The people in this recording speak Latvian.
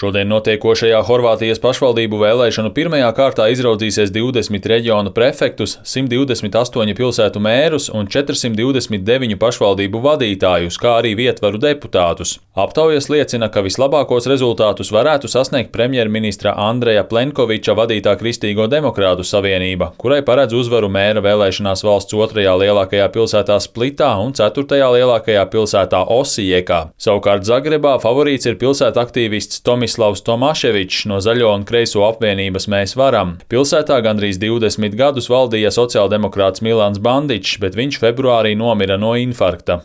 Šodien notiekošajā Horvātijas pašvaldību vēlēšanu pirmajā kārtā izraudzīsies 20 reģionu prefektus, 128 pilsētu mērus un 429 pašvaldību vadītājus, kā arī vietvaru deputātus. Aptaujas liecina, ka vislabākos rezultātus varētu sasniegt premjerministra Andreja Plenkoviča vadītā Kristīgo demokrātu savienība, kurai paredz uzvaru mēra vēlēšanās valsts otrajā lielākajā pilsētā Splitā un ceturtajā lielākajā pilsētā Osijekā. Savukārt Zagrebā favorīts ir pilsēta aktīvists Tomislavs Tomaševičs no Zaļo un Kreiso apvienības Mēs varam. Pilsētā gandrīz 20 gadus valdīja sociāldemokrāts Milans Bandičs, bet viņš februārī nomira no infarkta.